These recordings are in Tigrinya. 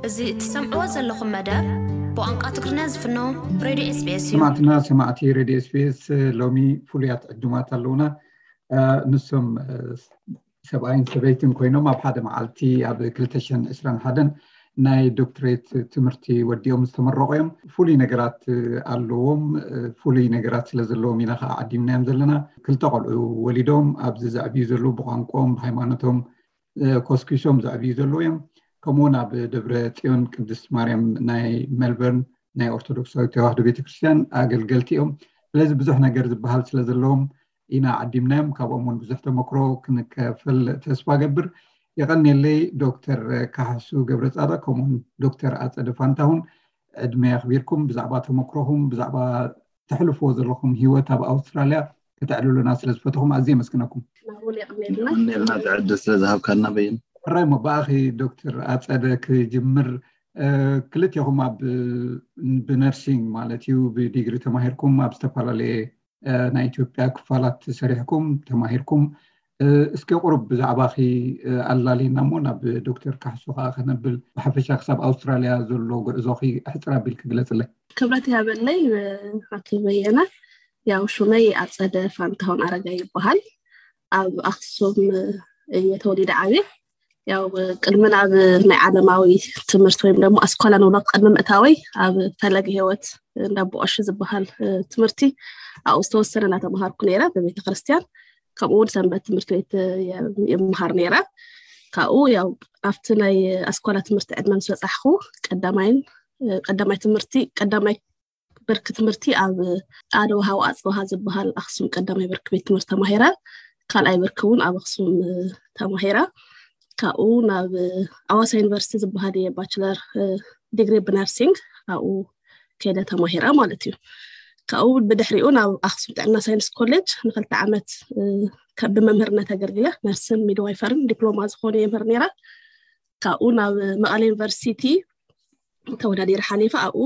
እዚ እትሰምዕዎ ዘለኹም መደብ ብቋንቋ ትግርኛ ዝፍኖ ሬድዮ ኤስቢኤስ እዩ። ሰማዕትና ሰማዕቲ ሬድዮ ኤስቢኤስ፣ ሎሚ ፍሉያት ዕዱማት ኣለውና። ንሶም ሰብኣይን ሰበይትን ኮይኖም ኣብ ሓደ መዓልቲ ኣብ ክልተ ሽሕን ዕስራን ሓደን ናይ ዶክትሬት ትምህርቲ ወዲኦም ዝተመረቑ እዮም። ፍሉይ ነገራት ኣለዎም። ፍሉይ ነገራት ስለ ዘለዎም ኢና ከዓ ዓዲምናዮም ዘለና። ክልተ ቆልዑ ወሊዶም ኣብዚ ዘዕብዩ ዘለዉ፣ ብቋንቋኦም ብሃይማኖቶም ኮስኪሶም ዘዕብዩ ዘለዉ እዮም። ከምኡውን ኣብ ደብረ ፅዮን ቅድስት ማርያም ናይ ሜልበርን ናይ ኦርቶዶክሳዊት ተዋህዶ ቤተክርስትያን ኣገልገልቲ እዮም። ስለዚ ብዙሕ ነገር ዝበሃል ስለ ዘለዎም ኢና ዓዲምናዮም። ካብኦም እውን ብዙሕ ተመክሮ ክንከፍል ተስፋ ገብር። የቐንየለይ ዶክተር ካሕሱ ገብረ ፃድቕ ከምኡውን ዶክተር ኣፀደ ፋንታሁን፣ ዕድመ ኣኽቢርኩም ብዛዕባ ተመክሮኹም፣ ብዛዕባ ተሕልፍዎ ዘለኹም ህይወት ኣብ ኣውስትራልያ ከተዕልሉና ስለ ዝፈተኹም ኣዝየ የመስግነኩም። ናብኡን የቕንየልና። የቐንየልና እቲ ዕድል ስለ ዝሃብካና በይን። ሕራይ እሞ ብኣኺ ዶክተር ኣፀደ ክጅምር። ክልቴኹም ኣብ ብነርሲንግ ማለት እዩ ብዲግሪ ተማሂርኩም ኣብ ዝተፈላለየ ናይ ኢትዮጵያ ክፋላት ሰሪሕኩም ተማሂርኩም። እስኪ ቁሩብ ብዛዕባኺ ኣላልየና እሞ ናብ ዶክተር ካሕሱ ከዓ ከነብል። ብሓፈሻ ክሳብ ኣውስትራልያ ዘሎ ጉዕዞኺ ሕፅር ኣቢልኪ ግለፅለይ። ክብረት ይሃበለይ። ኣቶ በየነ፣ ያው ሹመይ ኣፀደ ፋንታሁን ኣረጋይ ይበሃል። ኣብ ኣክሱም እየ ተወሊደ ዓብየ። ያው ቅድሚ ናብ ናይ ዓለማዊ ትምህርቲ ወይም ደግሞ ኣስኳላ ንብሎ ቅድሚ ምእታወይ ኣብ ፈለገ ህይወት እንዳ ቦቆሺ ዝበሃል ትምህርቲ ኣብኡ ዝተወሰነ እናተምሃርኩ ነይረ ብቤተ ክርስቲያን። ከምኡ እውን ሰንበት ትምህርቲ ቤት ይምሃር ነይረ። ካብኡ ያው ኣብቲ ናይ ኣስኳላ ትምህርቲ ዕድመ ምስ በፃሕኩ ቀዳማይን ቀዳማይ ትምህርቲ ቀዳማይ ብርኪ ትምህርቲ ኣብ ኣደወሃው ኣፅበሃ ዝበሃል ኣክሱም ቀዳማይ ብርኪ ቤት ትምህርቲ ተማሂረ። ካልኣይ ብርኪ እውን ኣብ ኣክሱም ተማሂረ። ካብኡ ናብ ኣዋሳ ዩኒቨርሲቲ ዝበሃል እየ ባችለር ዲግሪ ብነርሲንግ ኣብኡ ከይደ ተማሂረ ማለት እዩ። ካብኡ ብድሕሪኡ ናብ ኣክሱም ጥዕና ሳይንስ ኮሌጅ ንክልተ ዓመት ብመምህርነት ኣገልግለ። ነርስን ሚድዋይፈርን ዲፕሎማ ዝኾነ የምህር ነይረ። ካብኡ ናብ መቐለ ዩኒቨርሲቲ ተወዳዲረ ሓሊፈ ኣብኡ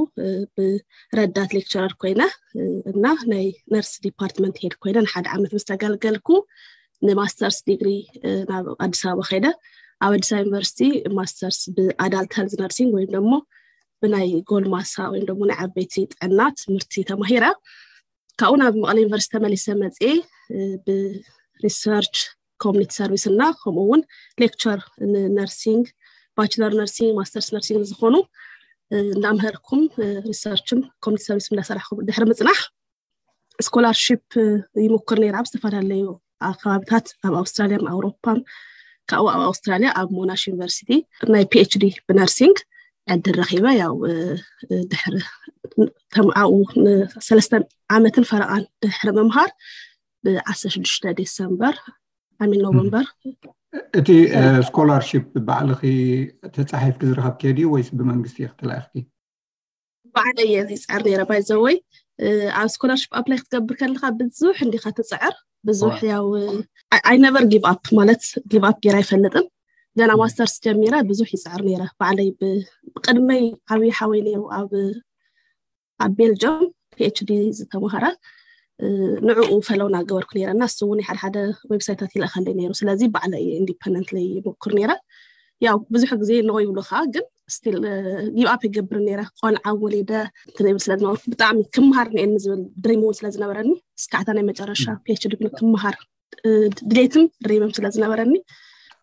ብረዳት ሌክቸረር ኮይነ እና ናይ ነርስ ዲፓርትመንት ሄድ ኮይነ ንሓደ ዓመት ምስ ተገልገልኩ ንማስተርስ ዲግሪ ናብ ኣዲስ ኣበባ ከይደ። ኣብ ኣዲስ ኣበባ ዩኒቨርሲቲ ማስተርስ ብኣዳልት ሄልዝ ነርሲንግ ወይም ደግሞ ብናይ ጎልማሳ ወይም ደግሞ ናይ ዓበይቲ ጥዕና ትምህርቲ ተማሂረ። ካብኡ ናብ መቐለ ዩኒቨርሲቲ ተመሊሰ መፅኤ ብሪሰርች ኮሚኒቲ ሰርቪስ እና ከምኡ እውን ሌክቸር ንነርሲንግ ባችለር ነርሲንግ ማስተርስ ነርሲንግ ዝኾኑ እንዳምሀርኩም ሪሰርችን ኮሚኒቲ ሰርቪስ እንዳሰራሕኩም ድሕሪ ምፅናሕ ስኮላርሽፕ ይሞክር ነይረ ኣብ ዝተፈላለዩ ከባብታት ኣብ ኣውስትራልያን ኣውሮፓን። ካብኡ ኣብ ኣውስትራልያ ኣብ ሞናሽ ዩኒቨርሲቲ ናይ ፒኤችዲ ብነርሲንግ ዕድል ረኪበ። ያው ድሕሪ ተምዓኡ ሰለስተ ዓመትን ፈረቓን ድሕሪ ምምሃር ብ16 ዴሰምበር ኣሚን ኖቨምበር እቲ ስኮላርሽፕ ባዕልኺ ተፃሒፍኪ ዝረኸብክዮ ድዩ ወይስ ብመንግስቲ ኢኺ ተላኢኽኪ? ባዕለይ እየ ዝፅዕር ነይረ። ባይዘወይ ኣብ ስኮላርሽፕ ኣፕላይ ክትገብር ከለካ ብዙሕ እንዲካ ትፅዕር ብዙሕ ያው ኣይ ነቨር ጊቭ ኣፕ ማለት ጊቭ ኣፕ ገይረ ኣይፈልጥን። ገና ማስተርስ ጀሚረ ብዙሕ ይፅዕር ነይረ ባዕለይ። ብቅድመይ ዓብዪ ሓወይ ነይሩ ኣብ ኣብ ቤልጅም ፒኤችዲ ዝተምሃረ ንዕኡ ፈለው እናገበርኩ ነይረ እና እሱ እውን ሓደ ሓደ ዌብሳይታት ይልእኸለይ ነይሩ። ስለዚ ባዕለይ ኢንዲፐንደንትሊ ይሞክር ነይረ። ያው ብዙሕ ግዜ ነው ይብሉካ ግን ስቲል ጊቭ ኣፕ ይገብር ነይረ። ቆልዓ ወሊደ እንትን ይብል ስለ ዝነበርኩ ብጣዕሚ ክምሃር እየ ዝብል ድሪም እውን ስለ ዝነበረኒ እስካዕታ ናይ መጨረሻ ፒኤችዲ ክምሃር ድሌትን ድሪምን ስለ ዝነበረኒ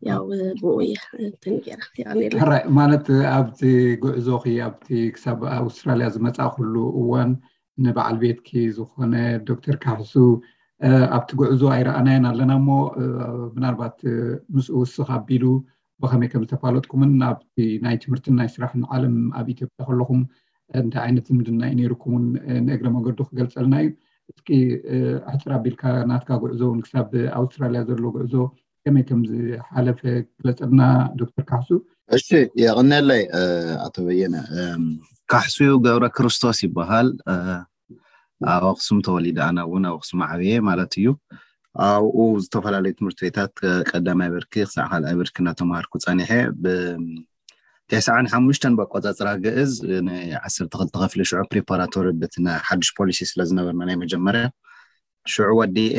ያው ብኡ እየ እንትን ገይረ። የቐንየለይ። ሕራይ ማለት ኣብቲ ጉዕዞኺ ኣብቲ ክሳብ ኣውስትራልያ ዝመፃእኩሉ እዋን ንበዓል ቤትኪ ዝኾነ ዶክተር ካሕሱ ኣብቲ ጉዕዞ ኣይረኣናዮን ኣለና እሞ ምናልባት ምስኡ ውስኽ ኣቢሉ ብኸመይ ከም ዝተፋለጥኩምን ናብቲ ናይ ትምህርትን ናይ ስራሕን ዓለም ኣብ ኢትዮጵያ ከለኹም እንታይ ዓይነት ዝምድና እዩ ነይርኩምን ንእግረ መገዱ ክገልፀልና እዩ። እስኪ ሕፅር ኣቢልካ ናትካ ጉዕዞ እውን ክሳብ ኣውስትራልያ ዘሎ ጉዕዞ ከመይ ከም ዝሓለፈ ግለፀልና ዶክተር ካሕሱ። እሺ የቐንየለይ ኣቶ በየነ። ካሕሱ ገብረ ክርስቶስ ይበሃል። ኣብ ኣክሱም ተወሊደ ኣነ እውን ኣብ ኣክሱም ዓብየ ማለት እዩ። ኣብኡ ዝተፈላለዩ ትምህርቲ ቤታት ቀዳማይ ብርኪ ክሳዕ ካልኣይ ብርኪ እናተምሃርኩ ፀኒሐ። ብተስዓን ሓሙሽተን ብኣቆፃፅራ ግእዝ ንዓሰርተ ክልተ ክፍሊ ሽዑ ፕሪፓራቶሪ በቲ ናይ ሓድሽ ፖሊሲ ስለ ዝነበርና ናይ መጀመርያ ሽዑ ወዲኤ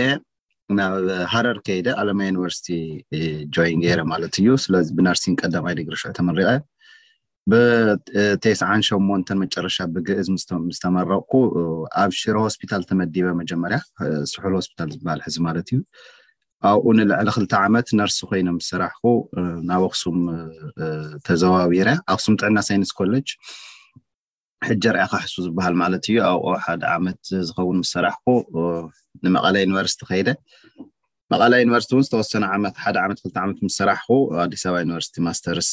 ናብ ሃረር ከይደ ኣለማ ዩኒቨርሲቲ ጆይን ገይረ ማለት እዩ። ስለዚ ብነርሲንግ ቀዳማይ ዲግሪ ሽዑ ተመሪቐ። ብተስዓን ሸሞንተን መጨረሻ ብግእዝ ምስ ተመረቕኩ ኣብ ሽረ ሆስፒታል ተመዲበ። መጀመርያ ስሑል ሆስፒታል ዝበሃል ሕዚ ማለት እዩ። ኣብኡ ንልዕሊ ክልተ ዓመት ነርስ ኮይነ ምስ ሰራሕኩ ናብ ኣክሱም ተዘዋዊረ። ኣክሱም ጥዕና ሳይንስ ኮሌጅ ሕጂ ርኣኻ ሕሱ ዝበሃል ማለት እዩ። ኣብኡ ሓደ ዓመት ዝኸውን ምስ ሰራሕኩ ንመቐለ ዩኒቨርሲቲ ከይደ። መቐለ ዩኒቨርሲቲ እውን ዝተወሰነ ዓመት፣ ሓደ ዓመት ክልተ ዓመት ምስ ሰራሕኩ ኣዲስ ኣበባ ዩኒቨርሲቲ ማስተርስ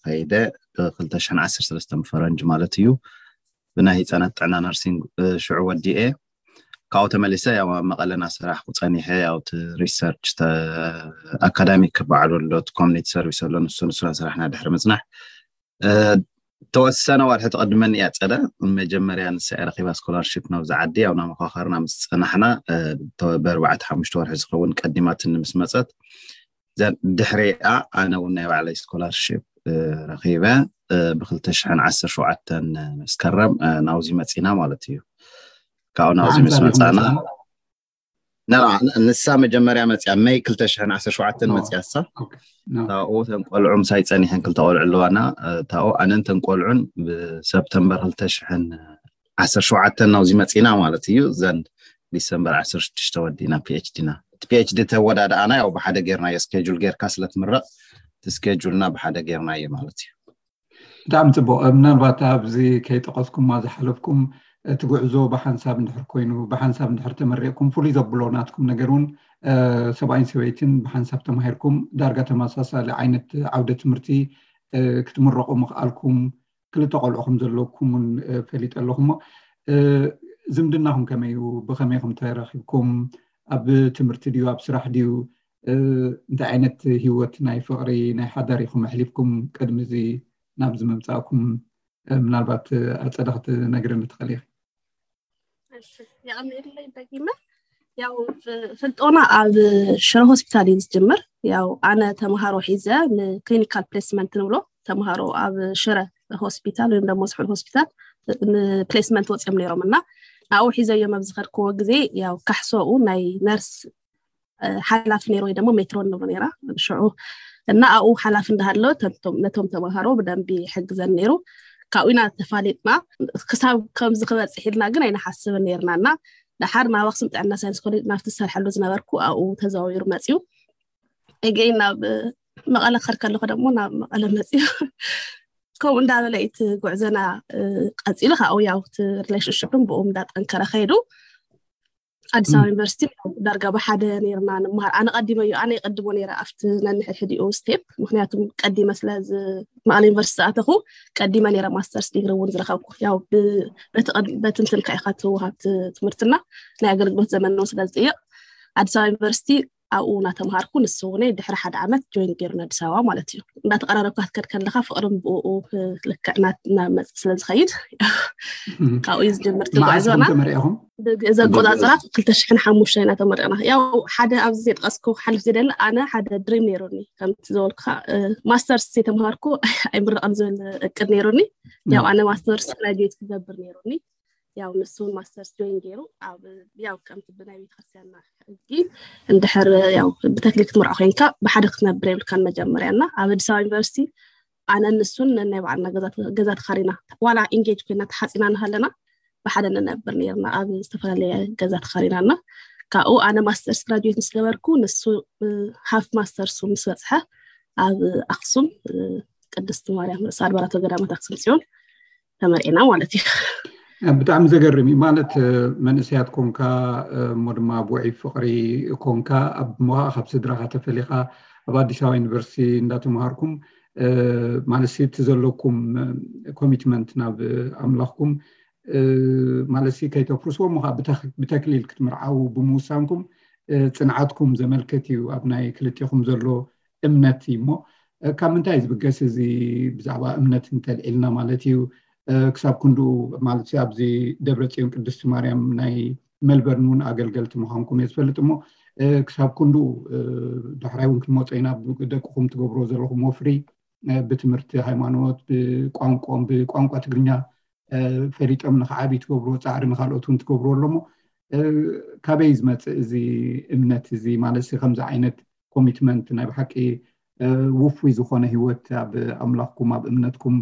ከይደ ብ ክልተ ሽሕን ዓሰርተ ሰለስተን ፈረንጂ ማለት እዩ። ብናይ ህፃናት ጥዕና ነርሲንግ ሽዑ ወዲኤ ካብኡ ተመሊሰ ያው ኣብ መቐለ እናሰራሕኩ ፀኒሐ። ያው እቲ ሪሰርች ኣካዳሚክ ክበዓሉ ኣሎ፣ እቲ ኮሚኒቲ ሰርቪስ ኣሎ፣ ንሱ ንሱ እናሰራሕና ድሕሪ ምፅናሕ ተወሰነ ወርሒ ተቐድመኒ እያ ፀደ። መጀመርያ ንሳ እያ ረኺባ ስኮላርሽፕ ናብዚ ዓዲ። ያው እናመኻኸርና ምስ ፀናሕና ብኣርባዕተ ሓሙሽተ ወርሒ ዝኸውን ቀዲማትኒ ምስ መፀት ድሕሪኣ ኣነ እውን ናይ ባዕለይ ስኮላርሽፕ ረኺበ። ብክልተ ሽሕን ዓሰርተ ሸውዓተን መስከረም ናውዚ መፂና ማለት እዩ። ካብኡ ናውዚ ምስ መፃና ንሳ መጀመርያ መፅያ መይ ክልተ ሽሕን ዓሰርተ ሸውዓተን መፅያ እሳ። ታኡ ተን ቆልዑ ምሳይ ፀኒሐን ክልተ ቆልዑ ኣለዋና። ታኡ ኣነን ተን ቆልዑን ብሰፕተምበር ክልተ ሽሕን ዓሰርተ ሸውዓተን ናውዚ መፂና ማለት እዩ። ዘን ዲሰምበር ዓሰርተ ሽዱሽተ ወዲእና ፒኤችዲና። እቲ ፒኤችዲ ተወዳድኣና ያው ብሓደ ጌርናዮ፣ ስኬጁል ጌርካ ስለ ትምረቕ እቲ ስኬጁልና ብሓደ ጌርናዮ ማለት እዩ። ብጣዕሚ ፅቡቕ። ምናልባት ኣብዚ ከይጠቐስኩማ ዝሓለፍኩም እቲ ጉዕዞ ብሓንሳብ እንድሕር ኮይኑ፣ ብሓንሳብ እንድሕር ተመሪቕኩም፣ ፍሉይ ዘብሎ ናትኩም ነገር እውን ሰብኣይን ሰበይትን ብሓንሳብ ተማሂርኩም ዳርጋ ተመሳሳሊ ዓይነት ዓውደ ትምህርቲ ክትምረቑ ምኽኣልኩም፣ ክልተ ቆልዑ ከም ዘለኩም እውን ፈሊጠ ኣለኹ። እሞ ዝምድናኹም ከመይ እዩ? ብኸመይ ኢኹም ተራኺብኩም? ኣብ ትምህርቲ ድዩ ኣብ ስራሕ ድዩ? እንታይ ዓይነት ህይወት ናይ ፍቕሪ ናይ ሓዳር ኢኹም ኣሕሊፍኩም ቅድሚ እዚ ናብዚ ምምፃእኩም? ምናልባት ኣፀደ ክትነግርኒ ትኽእሊ ኢኺ? እሺ፣ የቐንየለይ ደጊመ። ያው ፍልጦና ኣብ ሽረ ሆስፒታል እዩ ዝጅምር። ያው ኣነ ተምሃሮ ሒዘ ንክሊኒካል ፕሌስመንት ንብሎ ተምሃሮ ኣብ ሽረ ሆስፒታል ወይም ደግሞ ስሑል ሆስፒታል ንፕሌስመንት ወፂኦም ነይሮም እና ናብኡ ሒዘዮም ኣብ ዝኸድክዎ ግዜ ያው ካሕሶኡ ናይ ነርስ ሓላፊ ነይሩ ወይ ደግሞ ሜትሮን ንብሎ ነይራ ሽዑ እና ኣብኡ ሓላፊ እንዳሃሎ ነቶም ተምሃሮ ብደንቢ ይሕግዘን ነይሩ። ካብኡ ኢና ተፋሊጥና። ክሳብ ከምዚ ክበፅሕ ኢልና ግን ኣይንሓስብን ነይርና እና ደሓር ናብ ኣክሱም ጥዕና ሳይንስ ኮሌጅ ናብቲ ዝሰርሐሉ ዝነበርኩ ኣብኡ ተዘዋዊሩ መፅዩ። እገይ ናብ መቐለ ክኸድ ከለኹ ደግሞ ናብ መቐለ መፅዩ። ከምኡ እንዳበለ እቲ ጉዕዘና ቀፂሉ። ካብኡ ያው እቲ ሪሌሽንሽፕን ብኡ እንዳጠንከረ ከይዱ። ኣዲስ ኣበባ ዩኒቨርሲቲ ዳርጋ ብሓደ ነይርና ንምሃር። ኣነ ቀዲመ እዩ ኣነ ይቀድሞ ነይረ ኣብቲ ነንሕድሕዲኡ ስቴፕ። ምክንያቱም ቀዲመ ስለ መቐለ ዩኒቨርሲቲ ዝኣተኹ ቀዲመ ነይረ ማስተርስ ዲግሪ እውን ዝረኸብኩ። ያው በቲ እንትንካ ኢካ ትወሃብ ትምህርትና ናይ ኣገልግሎት ዘመን እውን ስለ ዝጥይቕ ኣዲስ ኣበባ ዩኒቨርሲቲ ኣብኡ እናተምሃርኩ ንሱ እውን ድሕሪ ሓደ ዓመት ጆይን ገይሩ ኣዲስ ኣበባ ማለት እዩ። እንዳተቀራረብካ ክትከድ ከለካ ፍቅርን ብኡ ልክዕ እናመፅ ስለ ዝኸይድ ካብኡ እዩ ዝጀምር ትጓዕዞና። ብግእዝ ኣቆፃፅራ ክልተ ሽሕን ሓሙሽተ ኢና ተመሪቕና። ያው ሓደ ኣብዚ ዘይጠቀስኩ ክሓልፍ ዝደሊ ኣነ ሓደ ድሪም ነይሩኒ ከምቲ ዝበልኩካ ማስተርስ ዘይተምሃርኩ ኣይምረቐን ዝብል እቅድ ነይሩኒ። ያው ኣነ ማስተርስ ግራጁዌት ክገብር ነይሩኒ። ያው ንሱ ማስተርስ ጆይን ገይሩ ኣብ ያው ከምቲ ብናይ ቤተክርስትያንና ሕጊ እንድሕር ያው ብተክሊል ክትምርዖ ኮይንካ ብሓደ ክትነብር የብልካን መጀመርያ እና ኣብ ኣዲስ ኣበባ ዩኒቨርሲቲ ኣነ ንሱን ነናይ ባዕልና ገዛ ተኻሪና ዋላ ኢንጌጅ ኮይና ተሓፂና እናሃለና ብሓደ ንነብር ነርና ኣብ ዝተፈላለየ ገዛ ተኻሪና እና ካብኡ ኣነ ማስተርስ ግራጁዌት ምስ ገበርኩ ንሱ ሃፍ ማስተርሱ ምስ በፅሐ ኣብ ኣክሱም ቅድስቲ ማርያም ርእሰ ኣድባራት ወገዳማት ኣክሱም ፅዮን ተመርዒና ማለት እዩ። ብጣዕሚ ዘገርም እዩ። ማለት መንእሰያት ኮንካ እሞ ድማ ኣብ ውዑይ ፍቕሪ ኮንካ ኣብ ሞኻኣ ካብ ስድራኻ ተፈሊኻ ኣብ ኣዲስ ኣበባ ዩኒቨርሲቲ እንዳተምሃርኩም ማለት እቲ ዘለኩም ኮሚትመንት ናብ ኣምላኽኩም ማለት ከይተፍርስዎ እሞ ብተክሊል ክትምርዓዉ ብምውሳንኩም ፅንዓትኩም ዘመልክት እዩ ኣብ ናይ ክልቲኹም ዘሎ እምነት እዩ እሞ ካብ ምንታይ ዝብገስ እዚ ብዛዕባ እምነት እንተልዒልና ማለት እዩ ክሳብ ክንድኡ ማለት ኣብዚ ደብረ ፅዮን ቅድስቲ ማርያም ናይ መልበርን እውን ኣገልገልቲ ምዃንኩም እየ ዝፈልጥ እሞ ክሳብ ክንድኡ ዳሕራይ እውን ክንመፆ ኢና ደቅኹም ትገብርዎ ዘለኹም ወፍሪ ብትምህርቲ ሃይማኖት ብቋንቋም ብቋንቋ ትግርኛ ፈሊጦም ንክዓብዩ ትገብርዎ ፃዕሪ ንካልኦት እውን ትገብርዎ ኣሎ እሞ ካበይ ዝመፅእ እዚ እምነት እዚ ማለት ከምዚ ዓይነት ኮሚትመንት ናይ ብሓቂ ውፉይ ዝኾነ ሂወት ኣብ ኣምላኽኩም ኣብ እምነትኩም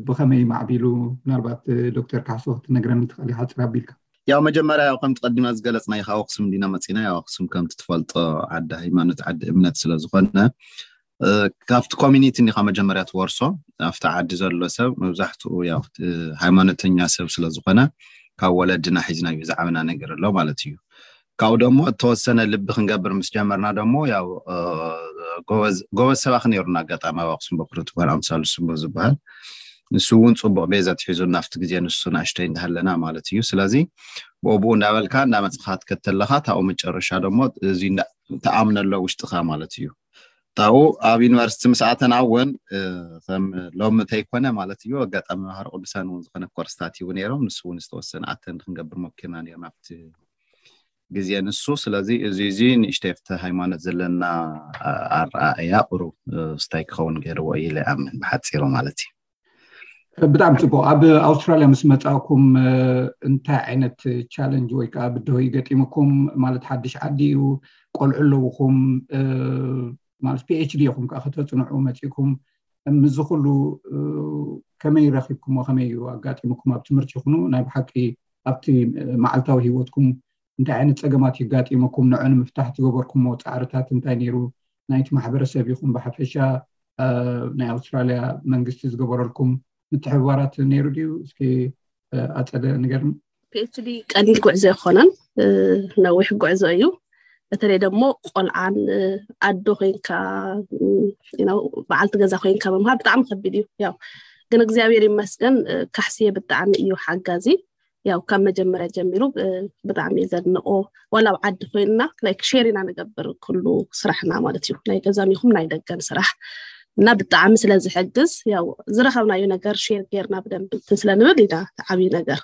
ብኸመይ ማዕቢሉ? ምናልባት ዶክተር ካሕሶ ክትነግረኒ ትኽእል ሓፂር ኣቢልካ። ያው መጀመርያ ያው ከምቲ ቀዲማ ዝገለፅናዮ ካብ ኣክሱም እንዲና መፂና። ያው ኣክሱም ከምቲ ትፈልጦ ዓዲ ሃይማኖት ዓዲ እምነት ስለዝኾነ ካብቲ ኮሚኒቲ እንዲኻ መጀመርያ ትወርሶ። ኣብቲ ዓዲ ዘሎ ሰብ መብዛሕትኡ ያው ሃይማኖተኛ ሰብ ስለዝኾነ ካብ ወለድና ሒዝና እዩ ዝዓበና ነገር ኣሎ ማለት እዩ። ካብኡ ደሞ እተወሰነ ልቢ ክንገብር ምስ ጀመርና ደሞ ያው ጎበዝ ሰባኺ ነይሩና። ኣጋጣሚ ኣብ ኣክሱም በኩር ትበሃል ኣምሳሉ ስቡ ዝበሃል ንሱ እውን ፅቡቅ ቤዛ ትሒዙ ናብቲ ግዜ ንሱ ናእሽተይ እንዳሃለና ማለት እዩ። ስለዚ ብኦብኡ እንዳበልካ እንዳመፅኻ ትከተለኻ ታኡ መጨረሻ ደሞ እዚ ተኣምነሎ ውሽጥኻ ማለት እዩ። ታኡ ኣብ ዩኒቨርሲቲ ምስ ኣተና እውን ከም ሎሚ ተይኮነ ማለት እዩ ኣጋጣሚ መምሃሪ ቅዱሳን እውን ዝኾነ ኮርስታት ይቡ ነይሮም። ንሱ እውን ዝተወሰነ ኣተን ክንገብር ሞኪርና ነይርና ኣብቲ ግዜ ንሱ። ስለዚ እዚ እዚ ንእሽተይ ኣብቲ ሃይማኖት ዘለና ኣረኣእያ ቁሩብ ስታይ ክኸውን ገይርዎ እዩ ኢለ ኣምን ብሓፂሩ ማለት እዩ። ብጣዕሚ ፅቡቅ። ኣብ ኣውስትራልያ ምስ መፃእኩም እንታይ ዓይነት ቻለንጅ ወይ ከዓ ብድሆ ይገጢምኩም? ማለት ሓድሽ ዓዲ እዩ፣ ቆልዑ ኣለውኹም፣ ማለት ፒኤችዲ ኢኹም ከዓ ከተፅንዑ መፂእኩም። ምዚ ኩሉ ከመይ ረኪብኩሞ? ከመይ እዩ ኣጋጢምኩም? ኣብ ትምህርቲ ይኹኑ ናይ ብሓቂ ኣብቲ መዓልታዊ ሂወትኩም እንታይ ዓይነት ፀገማት ይጋጢመኩም? ንዑ ንምፍታሕ ትገበርኩሞ ፃዕርታት እንታይ ነይሩ? ናይቲ ማሕበረሰብ ይኹን ብሓፈሻ ናይ ኣውስትራልያ መንግስቲ ዝገበረልኩም ምትሕብባራት ነይሩ ድዩ? እስኪ ኣፀደ ንገርኒ። ፒኤችዲ ቀሊል ጉዕዞ ኣይኮነን፣ ነዊሕ ጉዕዞ እዩ። በተለይ ደግሞ ቆልዓን ኣዶ ኮይንካ በዓልቲ ገዛ ኮይንካ ምምሃር ብጣዕሚ ከቢድ እዩ። ያው ግን እግዚኣብሔር ይመስገን ካሕስየ ብጣዕሚ እዩ ሓጋዚ። ያው ካብ መጀመርያ ጀሚሩ ብጣዕሚ ዘድንቆ፣ ዋላ ኣብ ዓዲ ኮይንና ላይክ ሼር ኢና ንገብር ኩሉ ስራሕና ማለት እዩ፣ ናይ ገዛን ይኹን ናይ ደገን ስራሕ እና ብጣዕሚ ስለዝሕግዝ ያው ዝረኸብናዮ ነገር ሼር ጌርና ብደንብ እንትን ስለንብል ኢና ዓብዪ ነገር።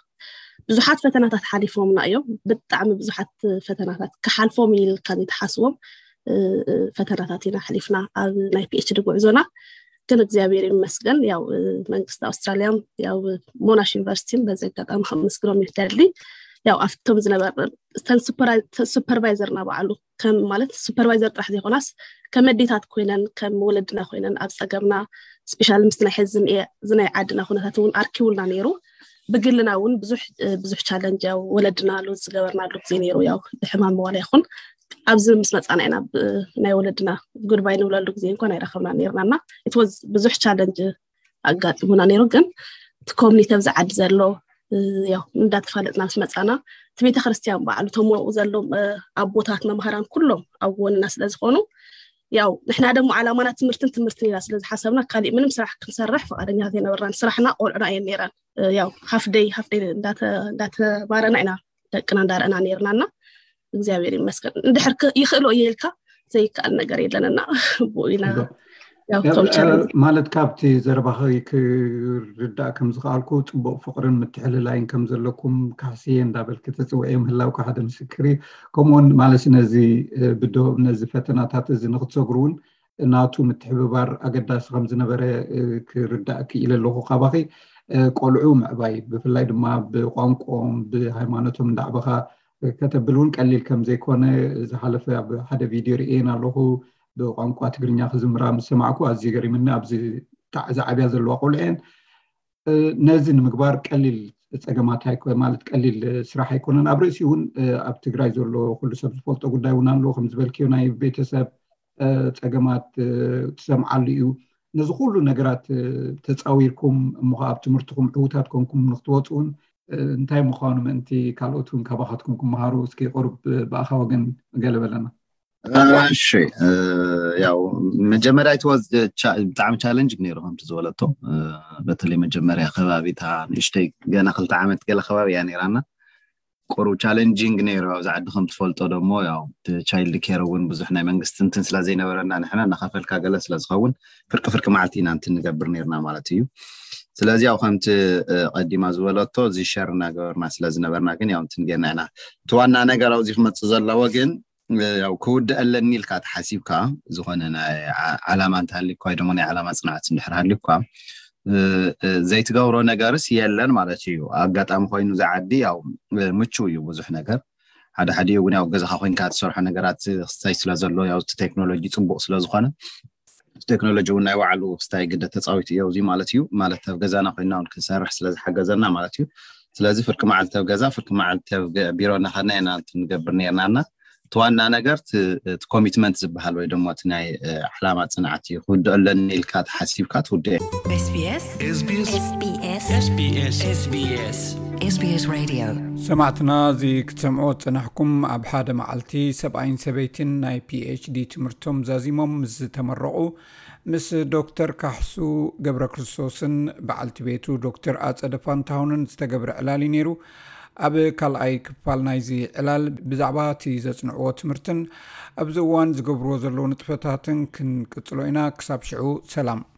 ብዙሓት ፈተናታት ሓሊፎምና እዮም፣ ብጣዕሚ ብዙሓት ፈተናታት ክሓልፎም ኢልካ ዘይትሓስቦም ፈተናታት ኢና ሓሊፍና ኣብ ናይ ፒኤችዲ ጉዕዞና። ግን እግዚኣብሔር ይመስገን ያው መንግስቲ ኣውስትራልያ ያው ሞናሽ ዩኒቨርሲቲን በዚ ኣጋጣሚ ከመስግኖም ይደሊ። ያው ኣብቶም ዝነበረ ሱፐርቫይዘርና በዓሉ ከም ማለት ሱፐርቫይዘር ጥራሕ ዘይኮናስ ከም ኣዴታት ኮይነን ከም ወለድና ኮይነን ኣብ ፀገምና ስፔሻሊ ምስ ናይ ሕዚ ዝናይ ዓድና ኩነታት እውን ኣርኪቡልና ነይሩ። ብግልና እውን ብዙሕ ብዙሕ ቻለንጅ ያው ወለድና ሉዝ ዝገበርናሉ ግዜ ነይሩ። ያው ብሕማም ዋላ ይኹን ኣብዚ ምስ መፃና ኢና ናይ ወለድና ጉድባይ ንብለሉ ግዜ እንኳን ኣይረኸብና ነይርና እና ኢትወዝ ብዙሕ ቻለንጅ ኣጋጢሙና ነይሩ። ግን እቲ ኮሚኒቲ ኣብዚ ዓዲ ዘሎ ያው እንዳተፋለጥና ምስ መፃና እቲ ቤተክርስትያን በዓሉ ተሞኡ ዘሎም ኣቦታት መምሃራን ኩሎም ኣብ ጎንና ስለዝኾኑ ያው ንሕና ደሞ ዓላማና ትምህርትን ትምህርትን ኢና ስለዝሓሰብና ካሊእ ምንም ስራሕ ክንሰርሕ ፈቃደኛታት የነበርናን። ስራሕና ቆልዑና እየን ነይረን። ያው ሃፍደይ ሃፍደይ እንዳተማረና ኢና ደቅና እንዳረአና ነይርና እና እግዚኣብሔር ይመስገን እንድሕር ይኽእሎ እየ ኢልካ ዘይከኣል ነገር የለን እና ብኡ ኢና ማለት ካብቲ ዘረባኺ ክርዳእ ከም ዝኸኣልኩ ፅቡቅ ፍቅርን ምትሕልላይን ከም ዘለኩም ካሕስየ እንዳበልክ ተፅውዕዮ ምህላውካ ሓደ ምስክር እዩ። ከምኡውን ማለት ነዚ ብዶ ነዚ ፈተናታት እዚ ንክትሰግሩ እውን ናቱ ምትሕብባር ኣገዳሲ ከም ዝነበረ ክርዳእ ክኢለ ኣለኹ ካባኺ። ቆልዑ ምዕባይ ብፍላይ ድማ ብቋንቋኦም ብሃይማኖቶም እንዳዕበኻ ከተብል እውን ቀሊል ከም ዘይኮነ ዝሓለፈ ኣብ ሓደ ቪድዮ ርእየን ኣለኹ። ብቋንቋ ትግርኛ ክዝምራ ምስ ሰማዕኩ ኣዝዩ ገሪምኒ። ኣብዚ ጣዕ ዝዓብያ ዘለዋ ቆልዑ እየን። ነዚ ንምግባር ቀሊል ፀገማት ማለት ቀሊል ስራሕ ኣይኮነን። ኣብ ርእሲ እውን ኣብ ትግራይ ዘሎ ኩሉ ሰብ ዝፈልጦ ጉዳይ እውን ኣሎ። ከም ዝበልክዮ ናይ ቤተሰብ ፀገማት ትሰምዓሉ እዩ። ነዚ ኩሉ ነገራት ተፃዊርኩም እሞ ኣብ ትምህርትኩም ዕውታት ኮንኩም ንክትወፁ እውን እንታይ ምዃኑ ምእንቲ ካልኦት እውን ካባኻትኩም ክመሃሩ እስኪ ቁሩብ ብኣኻ ወገን ገለ በለና። እሺ ያው መጀመርያ ይትወዝ ብጣዕሚ ቻለንጅ ነይሩ ከምቲ ዝበለቶ በተለይ መጀመርያ ከባቢታ ንእሽተይ ገና ክልተ ዓመት ገለ ከባቢ እያ ነይራና። ቁሩብ ቻለንጂንግ ነይሩ ኣብዚ ዓዲ ከም ትፈልጦ ደሞ ያው ቻይልድ ኬር እውን ብዙሕ ናይ መንግስቲ እንትን ስለ ዘይነበረና ንሕና እናኸፈልካ ገለ ስለ ዝኸውን ፍርቂ ፍርቂ መዓልቲ ኢና እንትን ንገብር ነይርና ማለት እዩ። ስለዚ ያው ከምቲ ቀዲማ ዝበለቶ እዚ ሸር እናገበርና ስለ ዝነበርና ግን ያው እንትን ጌርና ኢና። እቲ ዋና ነገር ኣብዚ ክመፅእ ዘለዎ ግን ያው ክውድእ ኣለኒ ኢልካ ተሓሲብካ ዝኾነ ናይ ዓላማ እንተሃሊኳ ወይ ደሞ ናይ ዓላማ ፅንዓት እንድሕር ሃሊኳ ዘይትገብሮ ነገርስ የለን ማለት እዩ። ኣጋጣሚ ኮይኑ እዚ ዓዲ ያው ምቹ እዩ ብዙሕ ነገር ሓደ ሓደ እውን ያው ገዛኻ ኮይንካ ትሰርሖ ነገራት ክስታይ ስለ ዘሎ ያው እቲ ቴክኖሎጂ ፅቡቅ ስለ ዝኾነ ቴክኖሎጂ እውን ናይ ባዕሉ ክስታይ ግደ ተፃዊቱ እዮ እዚ ማለት እዩ። ማለት ኣብ ገዛና ኮይና እውን ክንሰርሕ ስለ ዝሓገዘና ማለት እዩ። ስለዚ ፍርቂ መዓልቲ ኣብ ገዛ፣ ፍርቂ መዓልቲ ኣብ ገ- ቢሮ እናኸድና ኢና ንገብር ነርናና። እቲ ዋና ነገር እቲ ኮሚትመንት ዝበሃል ወይ ድማ እቲ ናይ እ፣ ዕላማ ፅንዓት እዩ። ክውድኦ ኣለኒ ኢልካ ተሓሲብካ ትውድኦ። SBS SBS SBS SBS SBS SBS Radio ሰማዕትና፣ እዚ ክትሰምዑ ዝጸናሕኩም ኣብ ሓደ መዓልቲ ሰብኣይን ሰበይትን ናይ ፒኤችዲ ትምህርቶም ዛዚሞም ምስ ዝተመረቑ ምስ ዶክተር ካሕሱ ገብረ ክርስቶስን በዓልቲ ቤቱ ዶክተር ኣጸደ ፋንታሁንን ዝተገብረ ዕላል እዩ ነይሩ። ኣብ ካልኣይ ክፋል ናይዚ ዕላል ብዛዕባ እቲ ዘጽንዕዎ ትምህርትን ኣብዚ እዋን ዝገብርዎ ዘለዉ ንጥፈታትን ክንቅጽሎ ኢና። ክሳብ ሽዑ ሰላም።